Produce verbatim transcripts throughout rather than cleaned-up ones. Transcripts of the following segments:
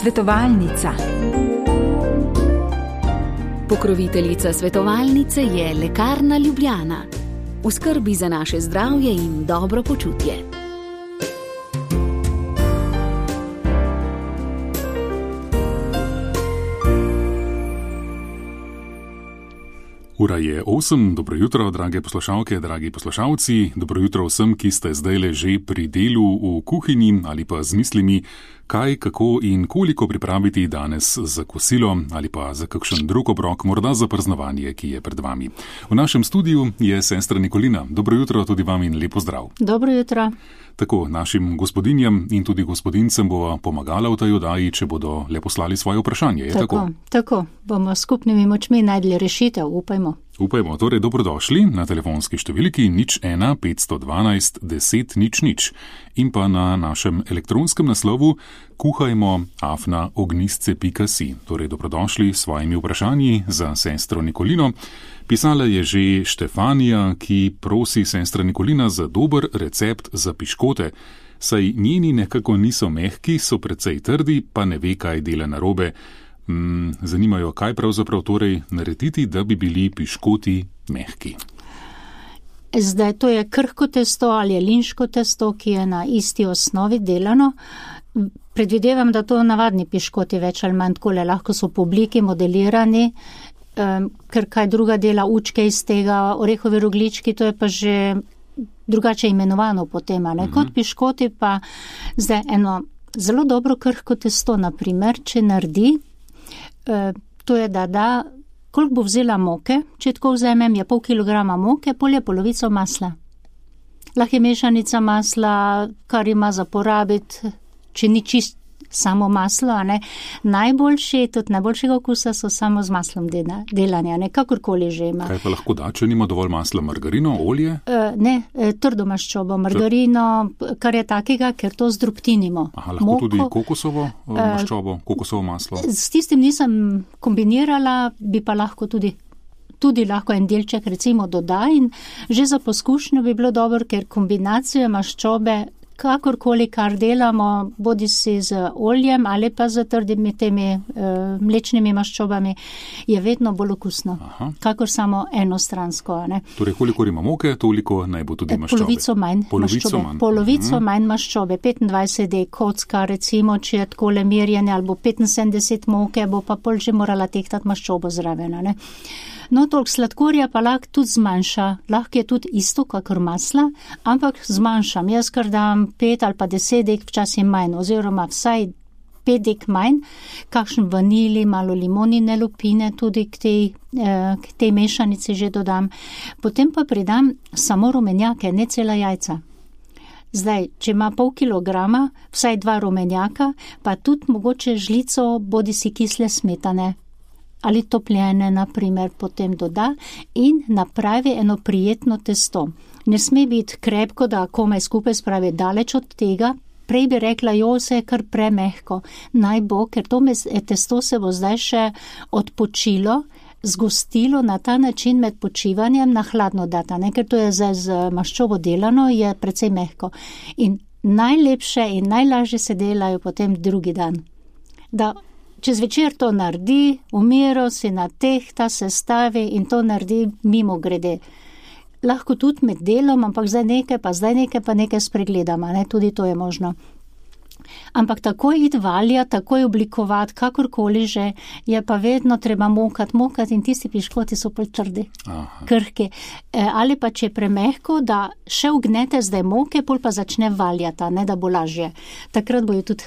Svetovalnica. Pokroviteljica svetovalnice je Lekarna Ljubljana. V skrbi za naše zdravje in dobro počutje. Ura je osem, dobro jutro, drage poslušalke, dragi poslušalci, dobro jutro vsem, ki ste zdajle že pri delu v kuhinji ali pa z mislimi, kaj, kako in koliko pripraviti danes za kosilo ali pa za kakšen drug obrok, morda za praznovanje, ki je pred vami. V našem studiu je sestra Nikolina. Dobro jutro tudi vam in lepo zdrav. Dobro jutro. Tako, našim gospodinjam in tudi gospodincem bova pomagala v tej oddaji, če bodo le poslali svoje vprašanje. Je tako? Tako, tako. Bomo skupnimi močmi najdli rešitev, upajmo. Upajmo, torej dobrodošli na telefonski številki nič ena petsto dvanajst deset nič nič in pa na našem elektronskem naslovu kuhajmo afna ognistce pika si. Torej dobrodošli s svojimi vprašanji za sestro Nikolino. Pisala je že Štefanija, ki prosi sestra Nikolina za dober recept za piškote, saj njeni nekako niso mehki, so precej trdi, pa ne ve, kaj dela narobe. Mm, zanimajo, kaj pravzaprav torej narediti, da bi bili piškoti mehki. Zdaj, to je krhko testo ali je linško testo, ki je na isti osnovi delano. Predvidevam, da to navadni piškoti več ali manj takole, lahko so po obliki modelirani, um, ker kaj druga dela učke iz tega, orehovi roglički, to je pa že drugače imenovano potem, ne? Mm-hmm. Kot piškoti pa zdaj eno zelo dobro krhko testo, naprimer, če naredi, to je, da da, koliko bo vzela moke, če tako vzamem, je pol kilograma moke, pol je polovico masla. Lahko je mešanica masla, kar ima za porabiti, če ni čist samo maslo, a ne. Najboljši, tudi najboljšega okusa so samo z maslom delanja, ne, kakorkoli že ima. Kaj pa lahko da, če nima dovolj masla, margarino, olje? E, ne, trdo maščobo, margarino, kar je takega, ker to zdrobtinimo. Aha, lahko Moko, tudi kokosovo maščobo, kokosovo maslo? S tistim nisem kombinirala, bi pa lahko tudi tudi lahko en delček recimo doda in že za poskušnjo bi bilo dobro, ker kombinacijo maščobe kakorkoli, kar delamo, bodi si z oljem ali pa z trdimi temi e, mlečnimi maščobami, je vedno bolj okusno, Aha. kakor samo enostransko. Ne? Torej, koliko ima moke, toliko naj bo tudi maščobe. Polovico manj Polovico maščobe. Manj. Polovico uh-huh. manj maščobe. petindvajset dej kocka, recimo, če je takole merjene, ali bo petinsedemdeset moke, bo pa pol že morala tehtati maščobo zraven. Ne? No, toliko sladkorja pa lahko tudi zmanjša. Lahko je tudi isto, kakor masla, ampak zmanjšam. Jaz kar dam pet ali pa deset dek, včasih manj, oziroma vsaj pet dek manj, kakšen vanili, malo limonine lupine tudi k tej, eh, k tej mešanici že dodam. Potem pa pridam samo rumenjake, ne cela jajca. Zdaj, če ima pol kilograma, vsaj dva rumenjaka, pa tudi mogoče žlico bodi si kisle smetane ali topljene, naprimer, potem doda in napravi eno prijetno testo. Ne sme biti krepko, da komaj skupaj spravi daleč od tega. Prej bi rekla, jo, se je kar premehko. Naj bo, ker to testo se bo zdaj še odpočilo, zgostilo na ta način med počivanjem na hladno data, ne? Ker to je zdaj z maščobo delano, je precej mehko. In najlepše in najlažje se delajo potem drugi dan. Da čez večer to naredi, v miru si natehta, sestavi in to naredi mimo grede. Lahko tudi med delom, ampak zdaj nekaj, pa zdaj nekaj, pa nekaj spregledama, ne, tudi to je možno. Ampak takoj iti valja, takoj oblikovati, kakorkoli že, je pa vedno treba mokati, mokati in tisti piškoti so pol trdi, Aha. krhki. E, ali pa če je premehko, da še ugnete zdaj moke, pol pa začne valjata, ne, da bo lažje. Takrat bojo tudi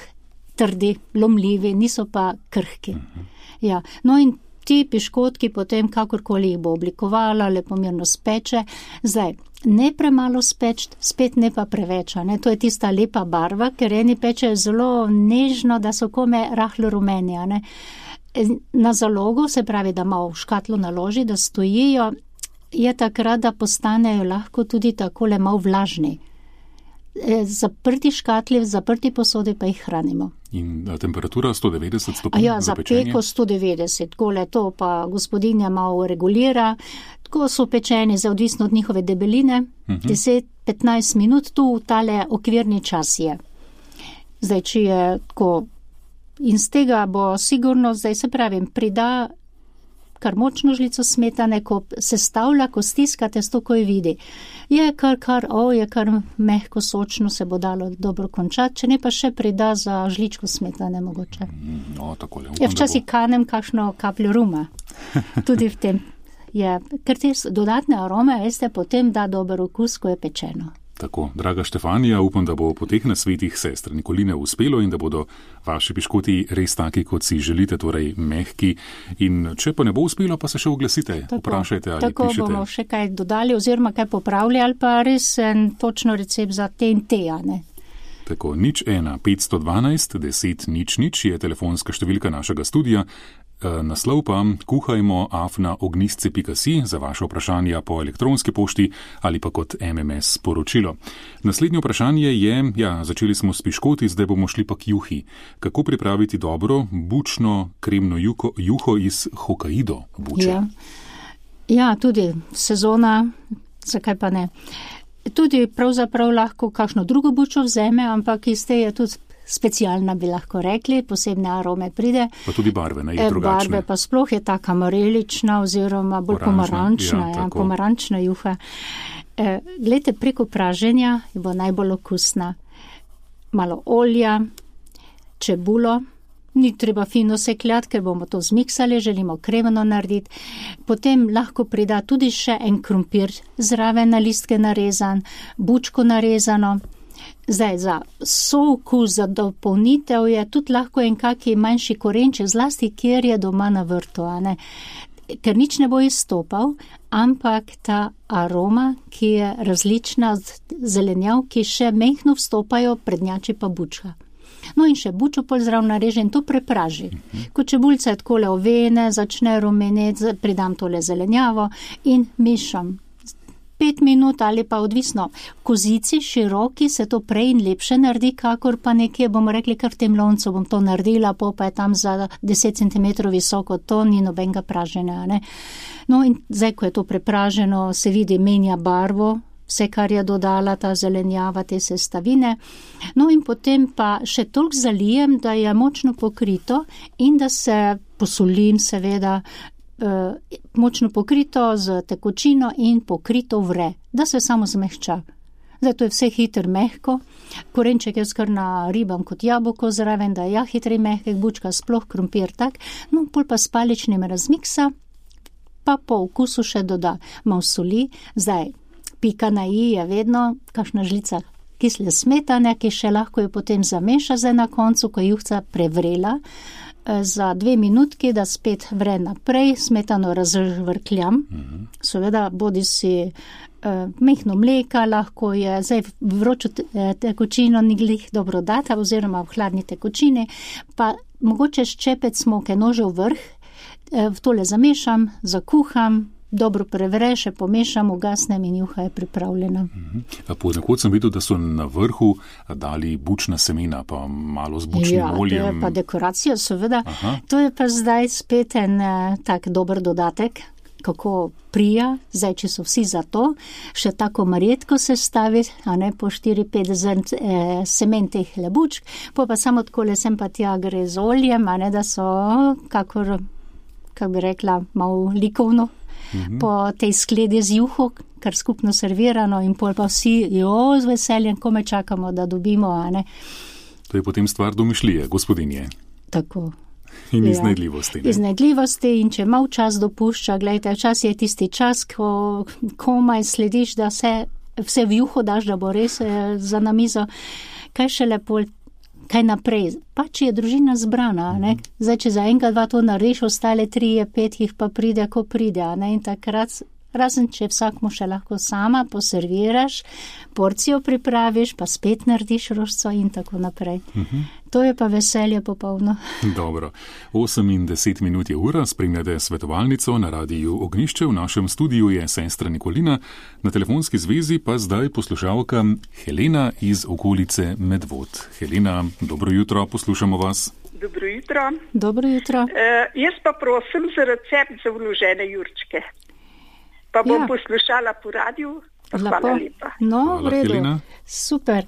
trdi, lomljivi, niso pa krhki. Uh-huh. Ja. No in ti piškotki potem, kakorkoli jih bo oblikovala, lepomirno speče. Zdaj, ne premalo speč, spet ne pa preveč, ne? To je tista lepa barva, ker eni pečejo zelo nežno, da so kome rahlo rumeni, ne? Na zalogo, se pravi, da malo v škatlo naloži, da stojijo, je takrat, da postanejo lahko tudi takole malo vlažni. Zaprti škatli, zaprti posodi pa jih hranimo. In temperatura sto devetdeset stopinj ja, za pečenje? Ja, za peko sto devetdeset, tole to pa gospodinja malo regulira. Tako so pečeni, za odvisno od njihove debeline, uh-huh. deset do petnajst minut, tu tale okvirni čas je. Zdaj, če je tako In z tega bo sigurno, zdaj se pravim, prida kar močno žlico smetane, ko sestavlja, ko stiska testo, ko je vidi. Je kar, kar, o, je kar mehko, sočno, se bo dalo dobro končati, če ne pa še prida za žličko smetane mogoče. No, takole. Ja, včasih kanem kakšno kapljo ruma. Tudi v tem je, ker te dodatne arome, veste, potem da dober okus, ko je pečeno. Tako, draga Štefanija, upam, da bo po teh nasvetih sestre Nikoline uspelo in da bodo vaši piškoti res taki, kot si želite, torej mehki. In če pa ne bo uspelo, pa se še oglasite, tako, vprašajte ali tako pišete. Tako bomo še kaj dodali oziroma kaj popravili ali pa res en točno recept za te in te, a ne? Tako, nič ena, petsto dvanajst, deset, nič, nič je telefonska številka našega studija. Naslov pa kuhajmo afna ognistce pika si za vaše vprašanja po elektronski pošti ali pa kot em em es sporočilo. Naslednje vprašanje je, ja, začeli smo s piškoti, zdaj bomo šli pa k juhi. Kako pripraviti dobro bučno kremno juho, juho iz Hokkaido buče? Ja. ja, tudi sezona, zakaj pa ne. Tudi pravzaprav lahko kakšno drugo bučo vzeme, ampak iz te je tudi specialna, bi lahko rekli, posebne arome pride. Pa tudi barve, ne, je drugačne. Barve pa sploh je taka marelična oziroma bolj pomarančna, ja, ja, pomarančna juha. E, glejte, preko praženja bo najbolj okusna. Malo olja, čebulo, ni treba fino sekljati, ker bomo to zmiksali, želimo kremno narediti. Potem lahko prida tudi še en krompir zraven na listke narezan, bučko narezano. Zdaj, za sookus, za dopolnitev je tudi lahko en kaki manjši korenček, zlasti, kjer je doma na vrtu, a ne? Ker nič ne bo izstopal, ampak ta aroma, ki je različna od zelenjav, ki še mehno vstopajo, prednjači pa bučka. No in še bučo pol zraven nareže in to prepraži. Ko čebulca je takole ovene, začne rumeneti, pridam tole zelenjavo in mešam. Pet minut ali pa odvisno. Kozici široki se to prej in lepše naredi, kakor pa nekje, bomo rekli, kar v tem loncu bom to naredila, po pa je tam za deset centimetrov visoko, to ni nobenega praženja, ne. No in zdaj, ko je to prepraženo, se vidi, menja barvo, vse, kar je dodala ta zelenjava, te sestavine. No in potem pa še toliko zalijem, da je močno pokrito in da se posolim, seveda, močno pokrito z tekočino in pokrito vre, da se samo zmehča. Zdaj, to je vse hitro mehko, korenček je skar naribam kot jabolko zraven, da je ja hitri mehkek, bučka sploh, krompir tak, no pol pa s paličnim razmiksa, pa po okusu še doda malo soli. Zdaj, pika na i je vedno kakšna žlica kisle smetane, ki še lahko jo potem zameša zdaj na koncu, ko je juhca prevrela, za dve minutki, da spet vre naprej, smetano razvrkljam. Mm-hmm. Seveda, bodi si eh, mehno mleka, lahko je, zdaj vročo tekočino ni glih dobro data, oziroma v hladni tekočini, pa mogoče ščepec smoke nože v vrh, eh, v tole zamešam, zakuham, dobro prevre, še pomešam, ugasnem in juha je pripravljena. Mm-hmm. Ponekod sem videl, da so na vrhu dali bučna semena, pa malo z bučnim ja, oljem. Ja, to je pa dekoracija, seveda. Aha. To je pa zdaj spet en tak dober dodatek, kako prija, zdaj, če so vsi za to, še tako marjetko se stavi, a ne po štiri pet zrn eh, semen teh lebučk, pa pa samo takole sem pa tja gre z oljem, a ne da so, kakor, kak bi rekla, malo likovno. Mm-hmm. Po tej skledi z juho, kar skupno servirano in pol pa vsi, jo, z veseljem, ko me čakamo, da dobimo, a ne. To je potem stvar domišljije, gospodinje. Tako. In ja. iznajdljivosti. Ne? Iznajdljivosti in če mal čas dopušča, gledajte, čas je tisti čas, ko komaj slediš, da se vse v juho daš, da bo res eh, za namizo. Kaj še lepo, kaj naprej? Pa če je družina zbrana, ne? Zdaj, če za enega dva to narediš, ostale tri, pet jih pa pride, ko pride, ne? In takrat, razen če vsak mu še lahko sama poserviraš, porcijo pripraviš, pa spet narediš rožco in tako naprej. Uh-huh. To je pa veselje popolno. Dobro. osem in deset minut je ura, spremljate svetovalnico na radiju Ognjišče, v našem studiu je sestra Nikolina, na telefonski zvezi pa zdaj poslušalka Helena iz okolice Medvod. Helena, dobro jutro, poslušamo vas. Dobro jutro. Dobro jutro. E, jaz pa prosim za recept za vložene jurčke. Pa bom ja. poslušala po radiju. Hvala lepa. No, Hvala, v redu. Helena. Super.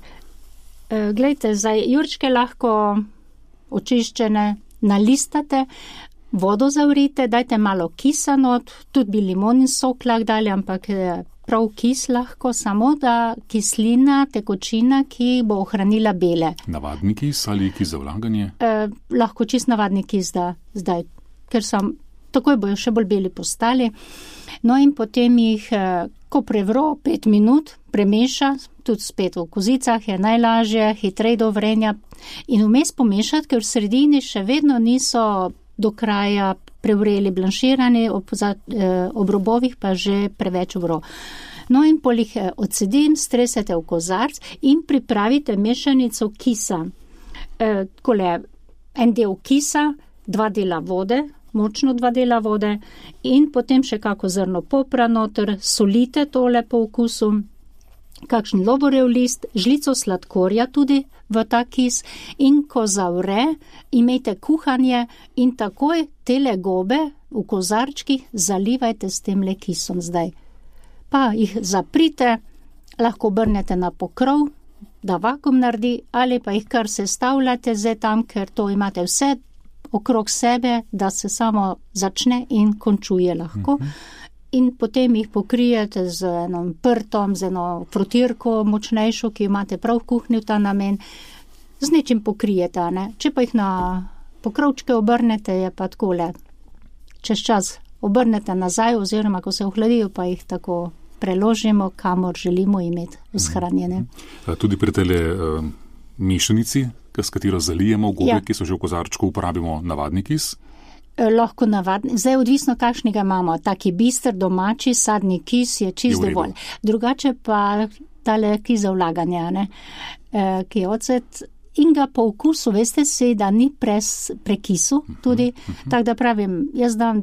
E, glejte, zdaj jurčke lahko očiščene, nalistate, vodo zavrite, dajte malo kisa not, tudi bi limonin sok lahko dali, ampak prav kis lahko, samo da kislina, tekočina, ki bo ohranila bele. Navadni kis ali kis za vlaganje? Eh, lahko čist navadni kis da zdaj, ker sem, takoj bojo še bolj beli postali. No in potem jih, eh, ko prevro pet minut, premeša, tudi spet v kozicah je najlažje, hitrej do vrenja in vmes pomešati, ker v sredini še vedno niso do kraja prevreli blanširani, ob, za, eh, ob robovih pa že preveč vro. No in polih eh, odsedim, stresete v kozarc in pripravite mešanico kisa. Eh, kole, en del kisa, dva dela vode, močno dva dela vode in potem še kako zrno popra noter, solite tole po okusu, kakšen lovorjev list, žlico sladkorja tudi v ta kis in ko zavre, imejte kuhanje in takoj tele gobe v kozarčkih zalivajte s tem le kisom zdaj. Pa jih zaprite, lahko obrnete na pokrov, da vakuum naredi, ali pa jih kar sestavljate zdaj tam, ker to imate vse okrog sebe, da se samo začne in končuje lahko. Mm-hmm. In potem jih pokrijete z enom prtom, z eno frotirko močnejšo, ki imate prav v kuhinji v ta namen, z nečim pokrijete, ne? Če pa jih na pokrovčke obrnete, je pa takole, čez čas obrnete nazaj, oziroma ko se ohladijo, pa jih tako preložimo, kamor želimo imeti shranjene. Tudi pri tele uh, mešanici, s katero zalijemo gobe, ja. Ki so že v kozarčku, uporabimo navadni kis? Lahko navadni, zdaj odvisno kakšnega imamo, taki bister, domači, sadni kis je čist dovolj. Drugače pa tale kis za vlaganje, ne, e, ki je ocet in ga po okusu, veste si, da ni pres, prekisu tudi, uh-huh, uh-huh. Tako da pravim, jaz dam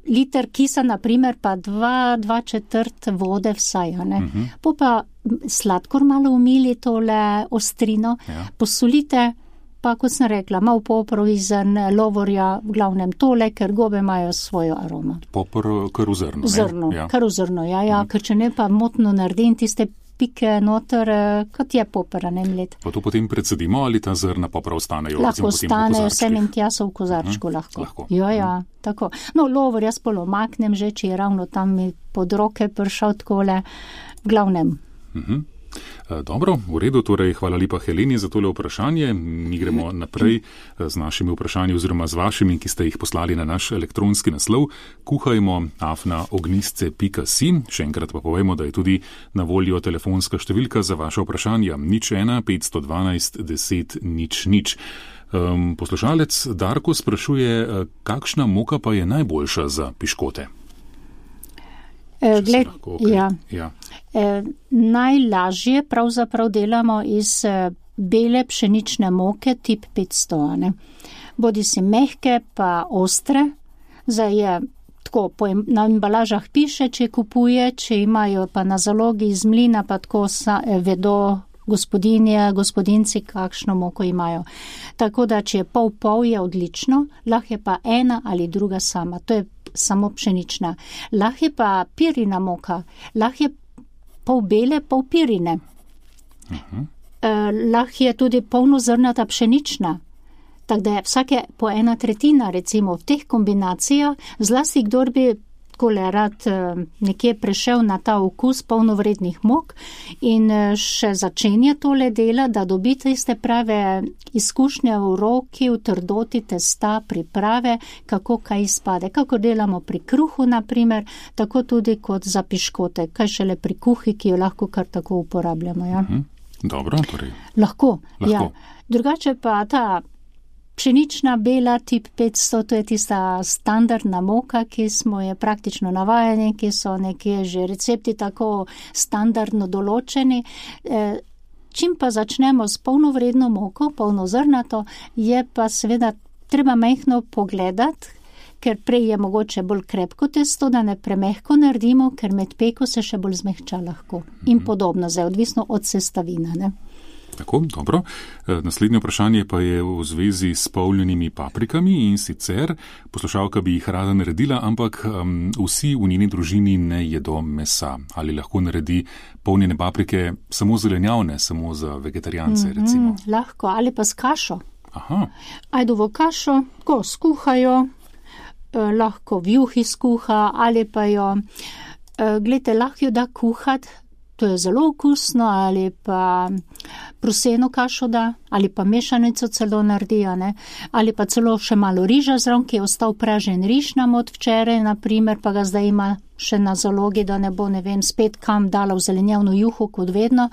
liter kisa, naprimer, pa dva, dva četrt vode vsaj, ne. Uh-huh. Po pa sladkor malo umili tole ostrino, ja. Posolite, pa kot sem rekla, malo poprov izrn, lovorja, v glavnem tole, ker gobe imajo svojo aromo. Popr kar v zrno, zrno, ja. Kar v zrno, ja, ja, mm. Ker če ne pa motno naredim tiste pike noter, kot je popra, ne mlet. Pa to potem predsedimo, ali ta zrna popra ostanejo? Lahko ostanejo, sem in tja so v kozarčku, uh-huh. lahko. lahko. Ja, ja, uh-huh. tako. No, lovor jaz polo maknem že, če je ravno tam mi pod roke pršal takole, v glavnem. Uh-huh. Dobro, v redu, torej hvala lepa Heleni za tole vprašanje. Mi gremo naprej z našimi vprašanji oziroma z vašimi, ki ste jih poslali na naš elektronski naslov kuhajmo afna ognistce pika si. Še enkrat pa povemo, da je tudi na voljo telefonska številka za vaše vprašanja nič ena petsto dvanajst deset nič nič. Um, poslušalec Darko sprašuje, kakšna moka pa je najboljša za piškote? E, gled, lahko, okay. ja. Ja. E, najlažje pravzaprav delamo iz e, bele pšenične moke tip petsto, ne. Bodi si mehke pa ostre, zdaj je tako, po, na embalažah piše, če kupuje, če imajo pa na zalogi iz mlina, pa tako sa, e, vedo gospodinje, gospodinci, kakšno moko imajo. Tako da, če je pol pol, je odlično, lahko je pa ena ali druga sama, to je samo pšenična. Lahko je pa pirina moka, lahko je pol bele, pol pirine. Uh-huh. E, lahko je tudi polnozrnata pšenična, tako da je vsake po ena tretjina, recimo v teh kombinacijah, zlasti kdor bi takole rad nekje prešel na ta okus polnovrednih mok in še začenja tole dela, da dobite iste prave izkušnje v roki, v trdoti testa, priprave, kako kaj izpade. Kako delamo pri kruhu, naprimer, tako tudi kot za piškote, kaj šele pri kuhi, ki jo lahko kar tako uporabljamo. Ja? Mhm. Dobro, torej. Lahko, lahko. Ja. Drugače pa ta pšenična bela tip petsto, to je tista standardna moka, ki smo je praktično navajeni, ki so nekje že recepti tako standardno določeni. E, čim pa začnemo s polnovredno moko, polnozrnato, je pa seveda treba mehko pogledati, ker prej je mogoče bolj krepko testo, da ne premehko naredimo, ker med peko se še bolj zmehča lahko. In podobno, zdaj odvisno od sestavine, ne. Tako, dobro. Naslednje vprašanje pa je v zvezi s polnjenimi paprikami in sicer poslušalka bi jih rada naredila, ampak um, vsi v njeni družini ne jedo mesa. Ali lahko naredi polnjene paprike samo zelenjavne, samo za vegetarijance, recimo? Mm-hmm, lahko, ali pa s kašo. Aha. Ajdovo kašo, ko skuhajo, eh, lahko v juhi skuha ali pa jo, eh, glede, lahko jo da kuhat, to je zelo okusno, ali pa proseno kašo da, ali pa mešanico celo naredi, ne? Ali pa celo še malo riža zraven, ki je ostal pražen riž nam od včeraj, naprimer, pa ga zdaj ima še na zalogi, da ne bo, ne vem, spet kam dala v zelenjavno juho, kot vedno.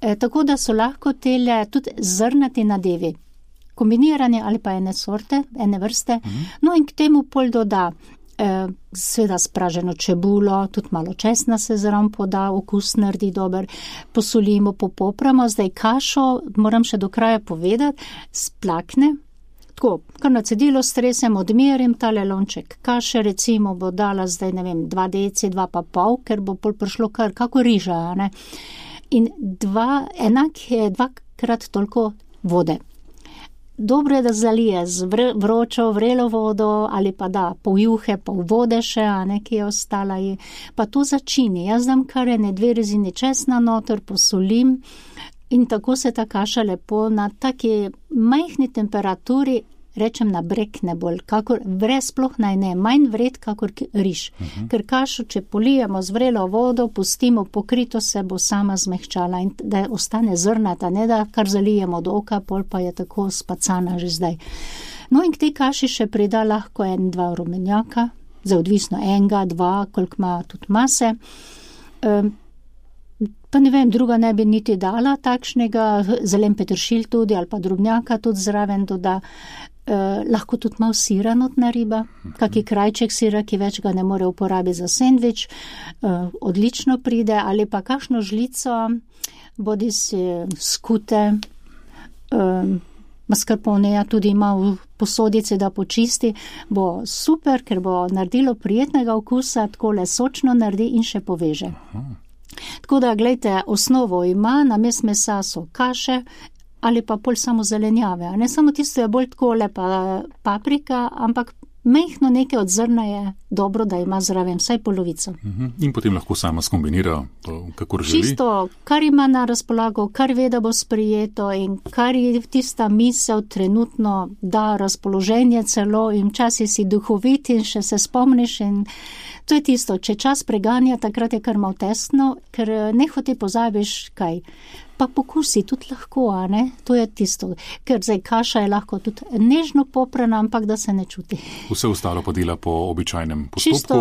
E, tako da so lahko tele tudi zrnati nadevi, kombinirane ali pa ene sorte, ene vrste. Mhm. No in k temu pol doda Eh, seveda spraženo čebulo, tudi malo česna se zraven poda, okus naredi dober, posolimo, popopramo, zdaj kašo, moram še do kraja povedati, splakne, tako, kar na cedilo stresem, odmerim tale lonček kaše, recimo bo dala zdaj, ne vem, dva deci, dva pa pol, ker bo pol prišlo kar, kako riža, ne, in dva, enak je dvakrat toliko vode. Dobro je, da zalije z vročo, vrelo vodo ali pa da pol juhe, pol vode še, a ne, ki je ostala, pa to začini. Jaz dam kar ene dve rezini česna noter, posolim in tako se ta kaša lepo na taki majhni temperaturi, rečem na brek ne bolj, kakor vre sploh naj ne, manj vred kakor riž. Uh-huh. Ker kašo, če polijemo z vrelo vodo, pustimo pokrito, se bo sama zmehčala in da ostane zrnata, ne da kar zalijemo do oka, pol pa je tako spacana že zdaj. No in k tej kaši še prida lahko en, dva rumenjaka, za odvisno enega, dva, koliko ima tudi mase. Um, pa ne vem, druga ne bi niti dala takšnega, zelen peteršilj tudi ali pa drobnjaka tudi zraven doda. Uh, lahko tudi malo sira notna riba, kaki krajček sira, ki več ga ne more uporabiti za sendvič, uh, odlično pride, ali pa kakšno žlico, bodi si skute, uh, mascarponeja tudi ima v posodici, da počisti, bo super, ker bo naredilo prijetnega okusa, takole sočno naredi in še poveže. Tako da, gledajte, osnovo ima, namesto mesa so kaše, ali pa pol samo zelenjave. Ne samo tisto je bolj tako lepa paprika, ampak mehno nekaj od zrna je dobro, da ima zraven vsaj polovico. In potem lahko sama skombinira, kakor želi. Čisto, kar ima na razpolago, kar ve, da bo sprijeto in kar je tista misel trenutno da razpoloženje celo in včasih si duhovit in še se spomniš in to je tisto, če čas preganja, takrat je kar malo tesno, ker nehote pozabiš kaj. Pa pokusi tudi lahko, a ne? To je tisto, ker zdaj kaša je lahko tudi nežno poprana, ampak da se ne čuti. Vse ostalo pa dela po običajnem postopku, čisto,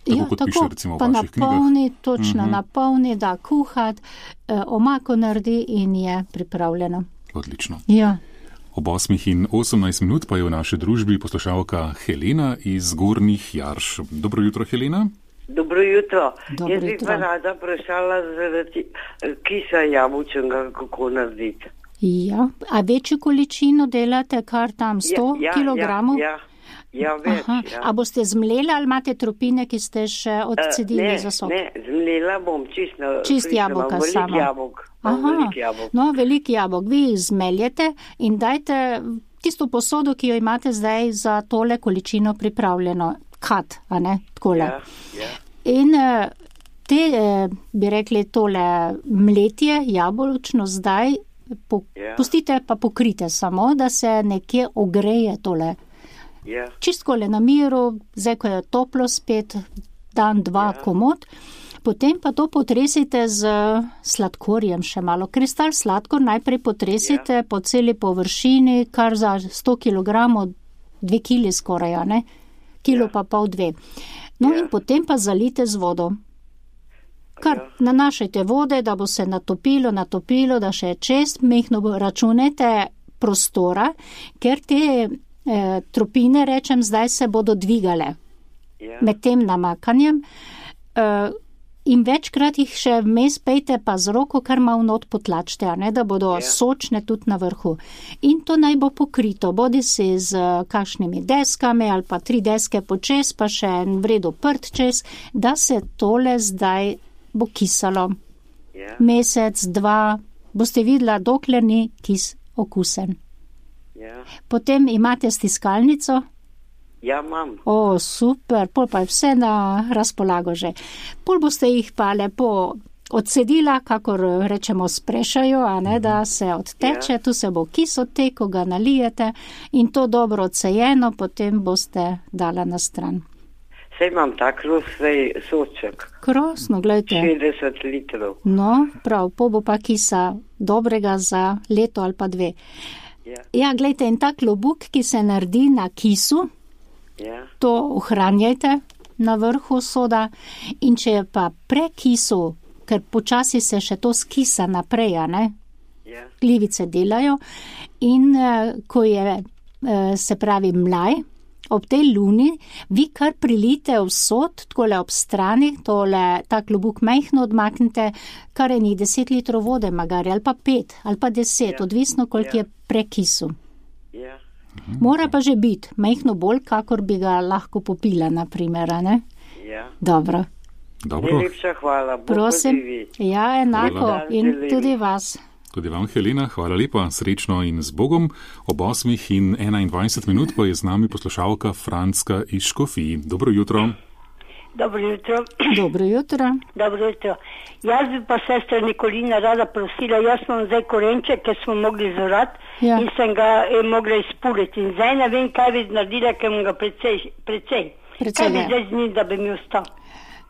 tako ja, kot tako, piše recimo v pa vaših knjigah. Napolni, točno uh-huh. napolni, da kuhat, eh, omako naredi in je pripravljeno. Odlično. Ja. Ob osmih in osemnajst minut pa je v naši družbi poslušalka Helena iz Gornjih Jarš. Dobro jutro, Helena. Dobro jutro. Dobro Jaz bi pa rada vprašala zaradi kisa jabolčnega, kako narediti. Ja, a večjo količino delate, kar tam sto ja, ja, kilogramov? Ja, ja, ja več. Ja. A boste zmleli ali imate tropine, ki ste še odcedili uh, za sok? Ne, zmlela bom čist na čist jabolka sama. Velik jabolk. Velik jabolk. No, velik jabolk. Vi jih zmeljete in dajte tisto posodo, ki jo imate zdaj za tole količino pripravljeno. Kat, a ne, takole. Ja, ja. In te, bi rekli, tole mletje jabolčno zdaj po, ja. pustite pa pokrite samo, da se nekje ogreje tole. Ja. Čistkole na miru, zdaj, ko je toplo spet, dan, dva ja. komot, potem pa to potresite z sladkorjem še malo. Kristal sladkor najprej potresite ja. po celi površini, kar za sto kilogramov, dve kili skoraj, ne? Kilo ja. pa pol dve. No ja. in potem pa zalite z vodo. Kar ja. nanašajte vode, da bo se natopilo, natopilo, da še čest, mehno računete prostora, ker te eh, tropine, rečem, zdaj se bodo dvigale ja. med tem namakanjem. Eh, In večkrat jih še vmes pejte pa z roko, kar malo not potlačite, a ne, da bodo yeah. sočne tudi na vrhu. In to naj bo pokrito, bodi si z kakšnimi deskami ali pa tri deske počez, pa še en vredo prt čez, da se tole zdaj bo kisalo. Yeah. Mesec, dva, boste videla, dokler ni kis okusen. Yeah. Potem imate stiskalnico. Ja, imam. O, super, pol pa je vse na razpolago že. Pol boste jih pa lepo odcedila, kakor rečemo, sprešajo, a ne, da se odteče, Ja. tu se bo kis odtek, ko ga nalijete in to dobro odsejeno, potem boste dala na stran. Saj imam tak rosej soček, Krasno, gledajte. šestdeset litrov. No, prav, po bo pa kisa dobrega za leto ali pa dve. Ja, Ja, gledajte, in ta klobuk, ki se naredi na kisu, ja, to ohranjajte na vrhu soda in če je pa prekisu, ker počasi se še to skisa naprej, a ne, ja, glivice delajo in eh, ko je, eh, se pravi, mlaj, ob tej luni, vi kar prilite v sod, takole ob strani, tole, ta klobuk majhno odmaknite, kar je njih deset litrov vode, magari, ali pa pet, ali pa deset, Ja. odvisno, koliko Ja. je prekisu. ja. Mora pa že biti, majhno bolj, kakor bi ga lahko popila, naprimer, a ne? ja. Dobro, Dobro, Najlepša hvala. Bog prosim. poživi. Ja, enako Hvala. in Želim. tudi vas. tudi vam, Helena, hvala lepa, srečno in z Bogom. Ob osmih in enaindvajset minut pa je z nami poslušalka Franska iz Škofij. Dobro jutro. Dobro jutro. Dobro jutro. Dobro jutro. Jaz bi pa sestra Nikolina rada prosila, jaz imam zdaj korenček, ki smo mogli zorati Ja. in sem ga eh, mogla izpuliti. In zdaj ne vem, kaj bi naredila, ker imam ga precej. precej. Precej, kaj bi ja. zdaj z njim, da bi mi ostal?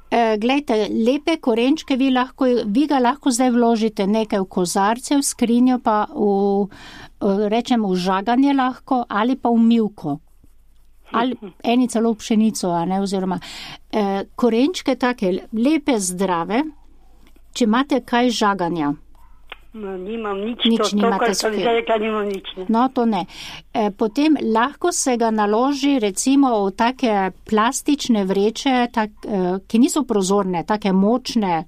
E, glejte, lepe korenčke vi, lahko, vi ga lahko zdaj vložite nekaj v kozarce, v skrinjo pa v, e, rečemo, v žaganje lahko ali pa v milko. Ali eni celo v pšenico, a ne, oziroma e, korenčke take lepe, zdrave, če imate kaj žaganja. No, nimam nič, Nič to, to nimate kar sem spet. zdaj rekla, nimam nič. Ne. No, to ne. E, potem lahko se ga naloži recimo v take plastične vreče, tak, e, ki niso prozorne, take močne,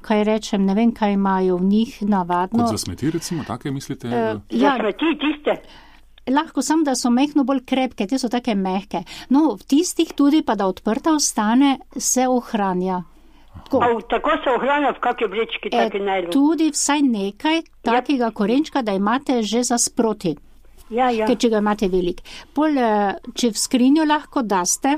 kaj rečem, ne vem, kaj imajo v njih navadno. Kot za smeti, recimo, take mislite? E, Ja. ja, Smeti tiste. lahko sem, da so mehko bolj krepke, te so take mehke. No, v tistih tudi pa, da odprta ostane, se ohranja. Tako. A, v- tako se ohranja v kakšni vrečki, E, taki najlon. tudi vsaj nekaj takega korenčka, da imate že za sproti. Ja, ja. Ker če ga imate velik. Pol, eh, če v skrinjo lahko daste,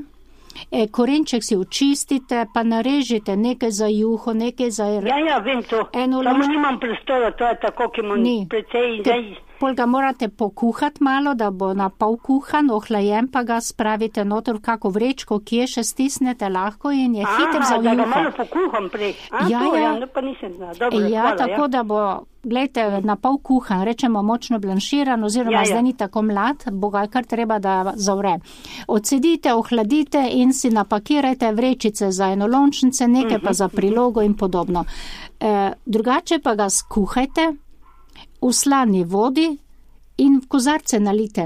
eh, korenček si očistite, pa narežite nekaj za juho, nekaj za... Ja, ja, vem to. Eno Samo lož- nimam prostora, to je tako, ki imam Ni. precej in Ker zdaj. Pol ga morate pokuhati malo, da bo na pol kuhan, ohlajen, pa ga spravite noter v kako vrečko, kje še stisnete lahko in je hiter za da ga juho. malo pokuham prej. A, Ja, to, ja. ja, no pa nisem znala. Dobro, Ja, hvala, tako ja. da bo, gledajte, na pol kuhan, rečemo močno blanširan, oziroma Ja, ja. zdaj ni tako mlad, bo ga kar treba, da zavre. Odsedite, ohladite in si napakirajte vrečice za enolončnice, nekaj pa za prilogo in podobno. E, drugače pa ga skuhajte v slani vodi in v kozarce nalite.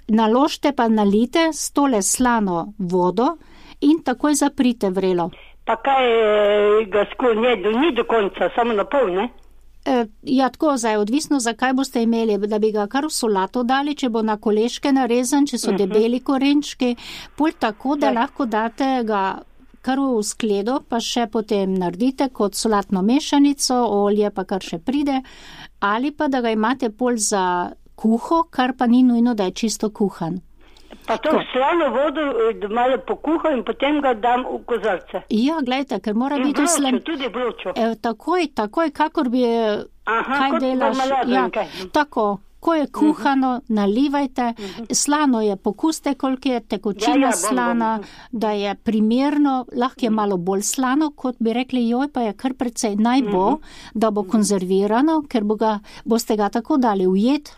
Naložite pa nalite s tole slano vodo in takoj zaprite vrelo. Pa kaj eh, ga sklonje, do, ni do konca, samo na pol, ne? E, ja, tako zdaj, odvisno, zakaj boste imeli, da bi ga kar v solato dali, če bo na koleške narezan, če so uh -huh. debeli korenčki, pol tako, da lahko date ga kar v skledo, pa še potem naredite kot solatno mešanico, olje pa kar še pride, ali pa da ga imate pol za kuho, kar pa ni nujno, da je čisto kuhan. Pa to v slano vodo eh, da malo pokuham in potem ga dam v kozarce. Ja, gledajte, ker mora In biti v vročo, slan... tudi vročo. E, takoj, takoj, kakor bi, Aha, kaj kot delaš, marmelado ja, in kaj. tako, ko je kuhano, uh-huh. nalivajte, uh-huh. slano je, pokuste, koliko je tekočina Ja, ja, bom, slana, bom. da je primerno, lahko je malo bolj slano, kot bi rekli, joj, pa je kar precej, naj bo, uh-huh. da bo konzervirano, ker bo ga, boste ga tako dali ujet,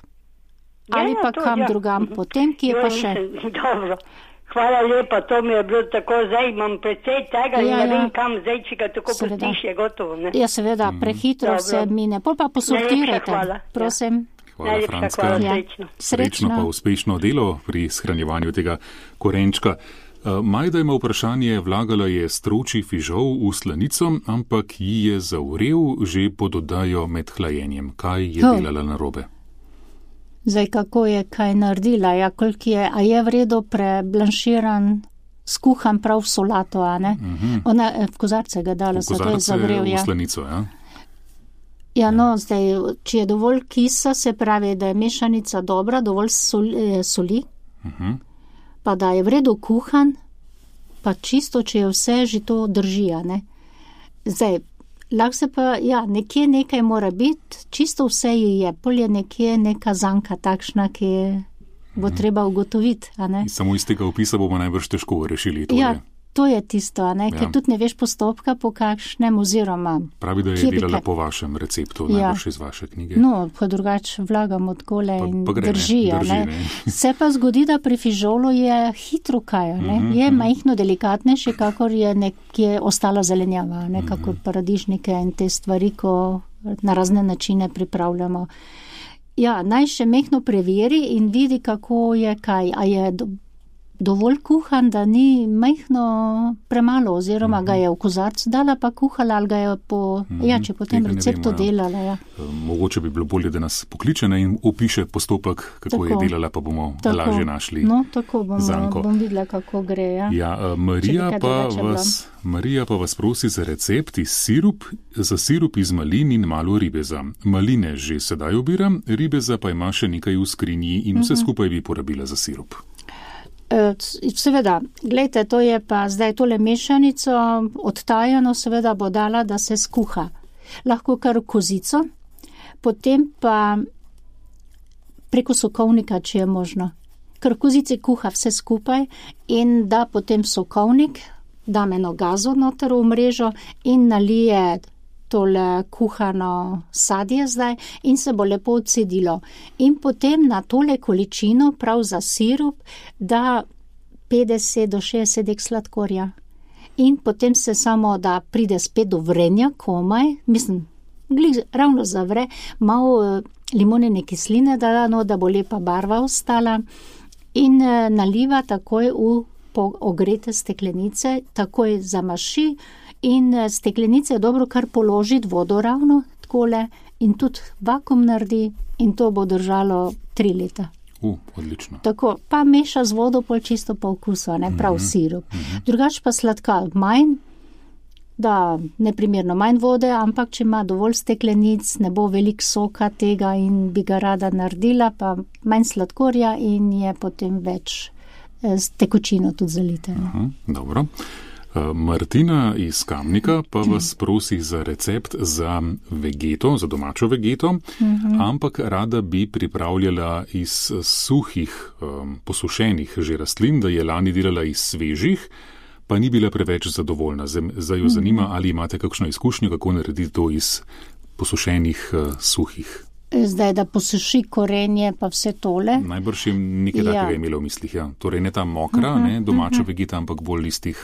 Ja, ali ja, pa to, kam ja. drugam, potem, ki je Joj, pa še. nisem- Dobro. Hvala lepa, to mi je bilo tako, zdaj imam precej tega in Ja, ne ja. vem kam, zdaj če ga tako Seveda. pustiš, je gotovo, ne? Ja, seveda, prehitro Dobro. vse mine, pol pa posortirajte, Najlepša hvala, ja. prosim. Hvala, Najlepša Franska. hvala, Ja. srečno. Srečno pa uspešno delo pri shranjevanju tega korenčka. Uh, Majda ima vprašanje, vlagala je stročji fižol v slanico, ampak ji je zavrel že pod oddajo med hlajenjem. Kaj je Ho. delala narobe? Zdaj, kako je kaj naredila, ja, koliko je, a je v redu preblanširan, skuhan prav v solato, a ne? Uh-huh. Ona eh, v kozarce ga dala, V se to je kozarce zavrel, v ja. slanico, ja? Ja, no, zdaj, če je dovolj kisa, se pravi, da je mešanica dobra, dovolj soli, eh, soli Uh-huh. pa da je v redu kuhan, pa čisto, če je vse, že to drži, a ne? Zdaj, Lahko se pa, ja, nekje nekaj mora biti, čisto vse je, pol je nekje neka zanka takšna, ki bo hmm. treba ugotoviti, a ne? Samo iz tega opisa bomo najbrž težko rešili to. Ja, to je tisto, a ne, ker ja. tudi ne veš postopka po kakšnem oziroma. Pravi, da je delala po vašem receptu, ja. najbrž iz vaše knjige. No, pa drugač vlagam od kole pa, in pa gre, drži, ne, drži, ne. ne. Se pa zgodi, da pri fižolu je hitro kaj, ne, mm-hmm. je majhno delikatnejše, kakor je nekje ostala zelenjava, ne, kakor paradižnike in te stvari, ko na razne načine pripravljamo. Ja, naj še mehno preveri in vidi, kako je kaj, a je do, dovolj kuhan, da ni majhno premalo, oziroma mm-hmm. ga je v kozarcu dala, pa kuhala, ali ga je po, mm-hmm. ja, če po tem receptu vemo, delala. Ja. Mogoče bi bilo bolje, da nas pokliče in opiše postopek, kako tako. je delala, pa bomo tako. lažje našli no, tako bomo, zanko. bom videla, kako gre. Ja, ja Marija, pa vas, Marija pa vas prosi za recept iz sirup, za sirup iz malin in malo ribeza. Maline že sedaj obiram, ribeza pa ima še nekaj v skrinji in vse mm-hmm. skupaj bi porabila za sirup. Seveda, gledajte, to je pa zdaj tole mešanico odtajano, seveda bo dala, da se skuha. Lahko kar kozico, potem pa preko sokovnika, če je možno. Ker kozice kuha vse skupaj in da potem sokovnik, dam eno gazo noter v mrežo in nalije tole kuhano sadje zdaj in se bo lepo odcedilo. In potem na tole količino, prav za sirup, da petdeset do šestdeset dek sladkorja. In potem se samo, da pride spet do vrenja, komaj, mislim, glih ravno zavre, malo limonene kisline, da, no, da bo lepa barva ostala in eh, naliva takoj v ogrete steklenice, takoj zamaši, in steklenice je dobro kar položiti vodo ravno, takole, in tudi vakuum naredi in to bo držalo tri leta. Uh, odlično. Tako, pa meša z vodo pol čisto po okusu, ne prav mm-hmm. sirup. Mm-hmm. Drugač pa sladka manj, da neprimerno manj vode, ampak če ima dovolj steklenic, ne bo velik soka tega in bi ga rada naredila, pa manj sladkorja in je potem več s tekočino tudi zalite. Uh-huh, dobro. Martina iz Kamnika pa vas prosi za recept za vegeto, za domačo vegeto, mm-hmm. ampak rada bi pripravljala iz suhih, um, posušenih že rastlin, da je lani delala iz svežih, pa ni bila preveč zadovoljna. Zdaj jo zanima, ali imate kakšno izkušnjo, kako narediti to iz posušenih uh, suhih. Zdaj, da posuši korenje pa vse tole. Najbrž jim nekaj ja. takega imela v mislih, ja. Torej ne ta mokra, uh-huh, ne, domača uh-huh. vegeta, ampak bolj iz tih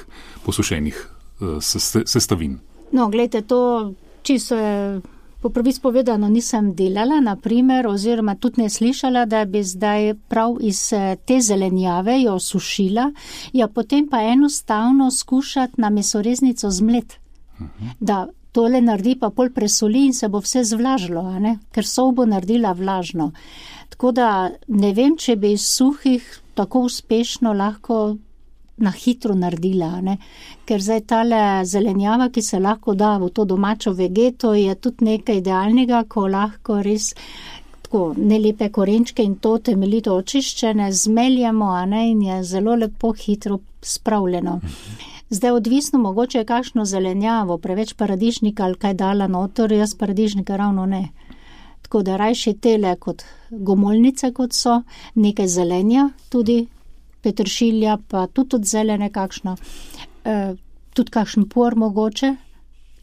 posušenih uh, sestavin. No, gledajte, to čisto je po pravici povedano nisem delala, naprimer, oziroma tudi ne slišala, da bi zdaj prav iz te zelenjave jo sušila, ja potem pa enostavno skušati na mesoreznico zmlet, uh-huh. da tole naredi pa pol presoli in se bo vse zvlažilo, a ne? Ker sol bo naredila vlažno. Tako da ne vem, če bi iz suhih tako uspešno lahko na hitro naredila, a ne? Ker zdaj tale zelenjava, ki se lahko da v to domačo vegeto, je tudi nekaj idealnega, ko lahko res tako nelepe korenčke in to temeljito očiščene zmeljemo, a ne? In je zelo lepo hitro spravljeno. Zdaj odvisno mogoče je kakšno zelenjavo, preveč paradižnika ali kaj dala noter, jaz paradižnika ravno ne. Tako da rajši tele kot gomolnice, kot so, nekaj zelenja, tudi peteršilja, pa tudi od zelene kakšno, e, tudi kakšen por mogoče,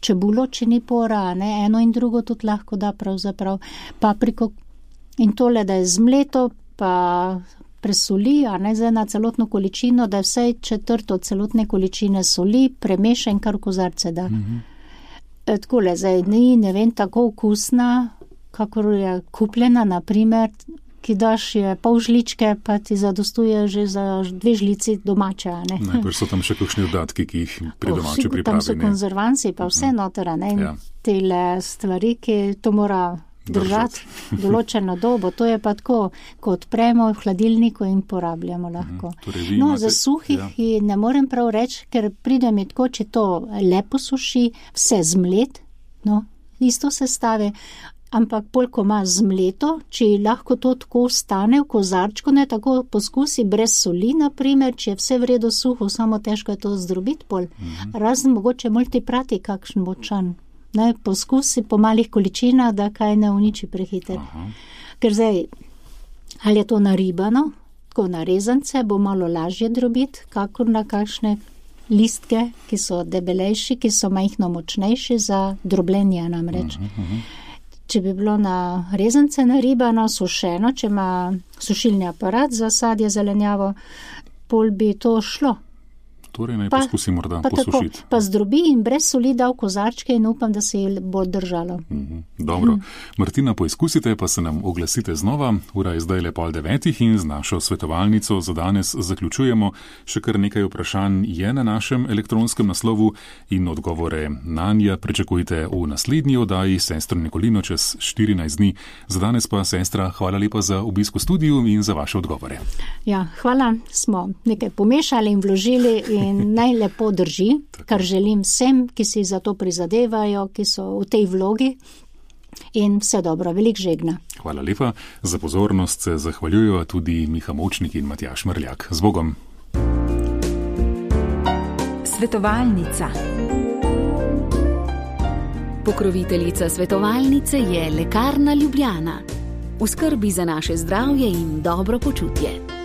čebulo, če ni pora, ne, eno in drugo tudi lahko da pravzaprav, papriko in tole, da je zmleto, pa presoli, a ne za na celotno količino, da je vsaj četrt od celotne količine soli, premeša in kar v kozarce da. Mm-hmm. E, takole, zdaj ni, ne vem, tako okusna, kakor je kupljena, naprimer, ki daš je pol žličke, pa ti zadostuje že za dve žlici domače, a ne. Najprej so tam še kakšni dodatki, ki jih pri domači pripravi. Tam so konzervanci, pa vse mm-hmm. noter, a ne, in ja. tele stvari, ki to mora držati določeno dobo, to je pa tako, ko odpremo v hladilniku in porabljamo lahko. Mm, torej no, imate, za suhih ja. ne morem prav reči, ker pride mi tako, če to lepo suši, vse zmlet, no, isto se stave, ampak pol, ko ima zmleto, če lahko to tako stane v kozarčku, ne tako poskusi brez soli, naprimer, če je vse v redu suho, samo težko je to zdrobiti pol. Mm-hmm. Razen mogoče multiprati kakšen močan. Ne, poskusi po malih količinah, da kaj ne uniči prehiter. Aha. Ker zdaj, ali je to naribano, tako na rezance, bo malo lažje drobiti, kakor na kakšne listke, ki so debelejši, ki so majhno močnejši za drobljenje namreč. Aha, aha. Če bi bilo na rezance naribano, sušeno, če ima sušilni aparat za sadje, zelenjavo, pol bi to šlo. Torej naj poskusi morda pa posušiti. Tako, pa zdrobi in brez soli dal kozarčke in upam, da se je bolj držalo. Mm-hmm. Dobro. Mm. Martina, poizkusite, pa se nam oglasite znova. Ura je zdaj le pol devetih in z našo svetovalnico za danes zaključujemo. Še kar nekaj vprašanj je na našem elektronskem naslovu in odgovore nanje pričakujte v naslednji oddaji Sestro Nikolino čez štirinajst dni. Za danes pa, sestra, hvala lepa za obisk v studiu in za vaše odgovore. Ja, hvala. Smo nekaj pomešali in vložili in In naj lepo drži, kar želim vsem, ki si za to prizadevajo, ki so v tej vlogi, in vse dobro, velik žegna. Hvala lepa. Za pozornost se zahvaljujo tudi Miha Močnik in Matjaž Mrljak. Z Bogom. Svetovalnica. Pokroviteljica svetovalnice je Lekarna Ljubljana. V skrbi za naše zdravje in dobro počutje.